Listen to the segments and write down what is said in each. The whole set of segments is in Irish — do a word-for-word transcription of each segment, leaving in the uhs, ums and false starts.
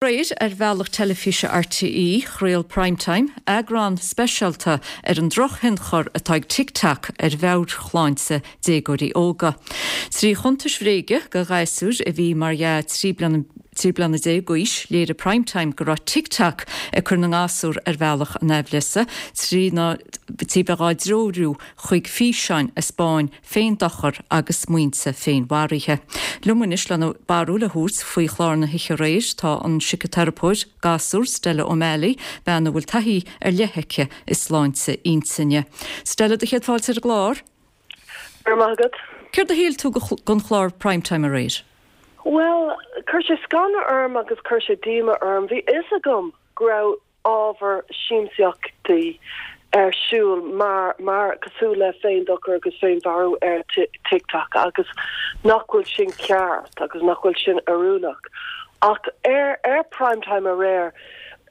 Aréir ar bhealach teilifíse R T E, chraol Prime Time eagrán speisialta ar an drochthionchar atá ag TikTok ar mheabhairshláinte déagóirí óga. Trí chuntais bhréige do ghasúir a bhí mar dhea trí bliana trí bliana déag d'aois, léirigh Prime Time go raibh TikTok ag cur na ngasúr ar bhealach an aimhleasa trí na trí bheith á dtreorú chuig físeáin a 'speáin féindochar agus smaointe féinmharaithe. Liom anois lena barúil a thabhairt faoi chlár na hoíche aréir tá an síciteiripeoir gasúr Stella O'Malley, bean a bhfuil taithí ar leith aici i sláinte intinne. Stella, do chéad fáilte ar an gclár? Maith. Céard a shíl tú den chlár Prime Time aréir? Well, chuir sé scanradh orm agus chuir sé díomá orm. Bhí fhios agam go raibh ábhar siamsaíochtaí ar siúl mar mar cosúil le féindochar agus féinmharú ar TikTok agus nach bhfuil sin ceart agus nach bhfuil sin oiriúnach. Ach ar ar Prime Time aréir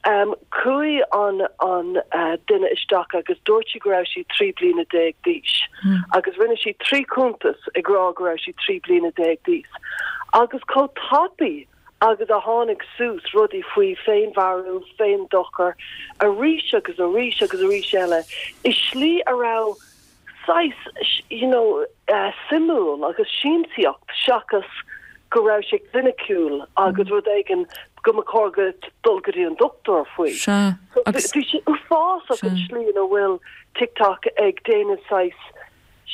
um, chuaigh an an uh, duine isteach agus dúirt sí go raibh sí trí bliana déag d'aois mm. agus rinne sí trí chuntas ag rá go raibh sí trí bliana déag d'aois. Agus chomh tapaidh agus a tháinig suas rudaí faoi féinmharú, féindochar, arís agus arís agus arís eile i slí a raibh saghas you know uh, suimiúil agus siamsaíocht seachas go raibh sé cliniciúil agus mm. rud éigin go mba chóir go dul go dtí an dochtúir faoi. Bhí sé uafásach an slí ina bhfuil TikTok ag déanamh saghas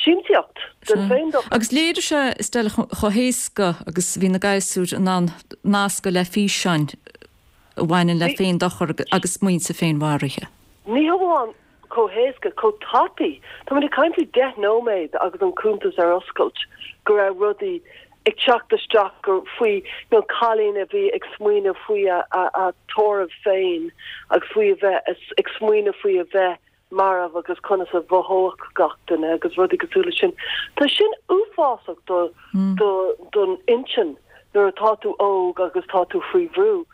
siamsaíocht den féindochar. Agus léirigh sé Stella chomh héasca agus bhí na gasúir in ann nascadh le físeáin a bhaineann le féindochar agus smaointe féinmharaithe. Ní hamháin chomh héasca, chomh tapaidh. Tá mé ag caint faoi deich nóiméad agus an cuntas ar oscailt go raibh rudaí ag teacht isteach gur faoi nó cailín a bhí ag smaoineamh faoi a, a, a tórramh féin agus faoi a bheith ag smaoineamh faoi a bheith marbh agus conas a mhothódh gach duine agus rudaí cosúil sin. Tá sin uafásach do mm. do don intinn nuair atá tú óg agus tá tú faoi bhrú.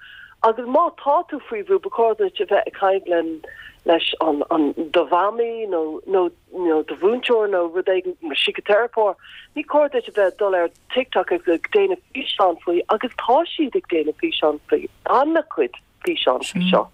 Agus má tá tú faoi bhrú ba chóir duit a bheith ag caint leis an an do mhamaí nó nó nó do mhúinteoir nó rud éigin síciteiripeoir, ní cóir duit a bheith dul ar TikTok ag ag déanamh físeán faoi agus tá siad ag déanamh físeán faoi an-chuid físeán faoi seo.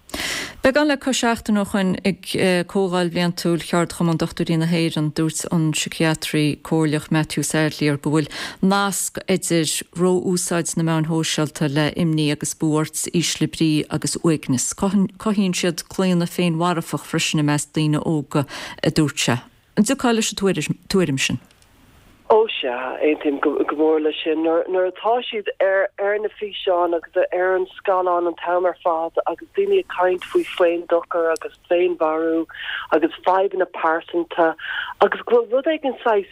Beagán le cois seachtain ó shin ag eh, Comhdháil Bhliantúil Cheardchumann Dochtúirí na hÉireann dúirt an síciatraí comhairleach Matthew Sadlier go bhfuil nasc idir ró-úsáid na meán sóisialta le imní agus buairt, ísle brí agus uaigneas. Cothaíonn siad claonadh féinmharfach freisin i measc daoine óga a dúirt sé. An dtiocfá leis an tuairim sin. Ó sea, aontaím go mór leis sin nuair atá siad ar ar na físeáin agus ar an scáileán an t-am ar fad agus daoine ag caint faoi féindochar agus féinmharú agus fadhbanna pearsanta agus go bhfuil rud éigin saghas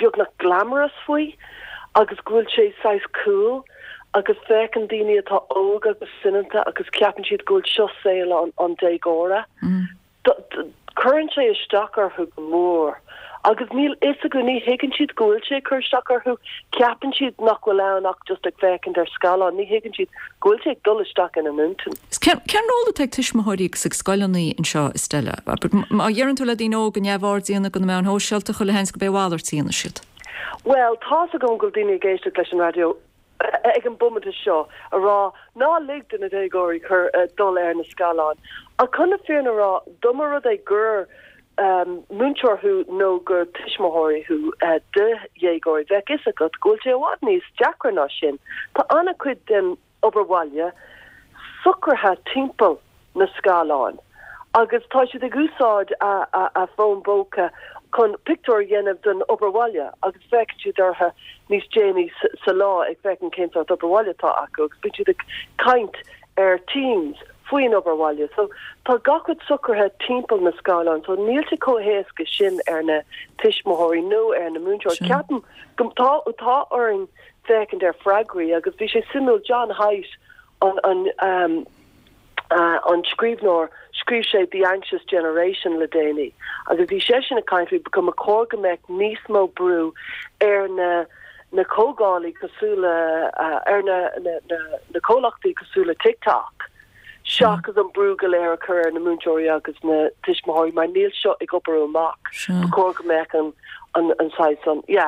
beagnach glamorous faoi agus go bhfuil sé saghas cool agus féachann daoine atá óg agus soineanta agus ceapann siad go bhfuil seo saol an, an déagóra. Mm. Cuireann sé isteach orthu go mór. Agus níl fhios acu, ní thuigeann siad go bhfuil sé cur isteach orthu, ceapann siad nach bhfuil ann ach just ag féachaint ar scáileán, ní thuigeann siad go bhfuil sé ag dul isteach ina n-intinn. Cén ról atá ag tuismitheoirí agus ag scoileanna anseo, Stella. Má dheireann tú le daoine óga neamhaird a dhéanamh de na meáin shóisialta chuile sheans gurb é a mhalairt a dhéanfaidh siad. Well, tá go bhfuil daoine ag éisteacht leis an raidió ag an bomaite seo a rá ná lig do na déagóirí chur uh, dul ar na scáileáin. A chun na fírinne a rá dá mba rud é gur um, múinteoir thú nó gur tuismitheoirí thú uh, de dhéagóirí bheadh fhios agat go bhfuil sé i bhfad níos deacra ná sin. Tá an-chuid den obair bhaile socraithe timpeall na scáileáin. Agus tá siad ag úsáid a, a, a fón póca chun pictiúr a dhéanamh den obair bhaile agus féachann siad orthu níos déanaí sa lá ag féachaint cén sórt obair bhaile atá acu agus bíonn siad ag caint ar Teams faoin obair bhaile. So tá gach rud socraithe timpeall na scáileán, so níl sé chomh héasca sin ar na tuismitheoirí nó ar na múinteoirí. Ceapaim go tá tá orainn féachaint ar freagraí agus bhí sé suimiúil John Haidt an an um, uh, an scríbhneoir scríobh sé The Anxious Generation le déanaí. Agus bhí sé sin ag caint faoi go mba chóir go mbeadh níos mó brú ar na na comhlachtaí cosúil le uh, ar na, na, na, na comhlachtaí cosúil le TikTok. Seachas an brú go léir a chur ar na múinteoirí agus na tuismitheoirí mar níl seo ag obair amach. Ba chóir go mbeadh an an an an yeah.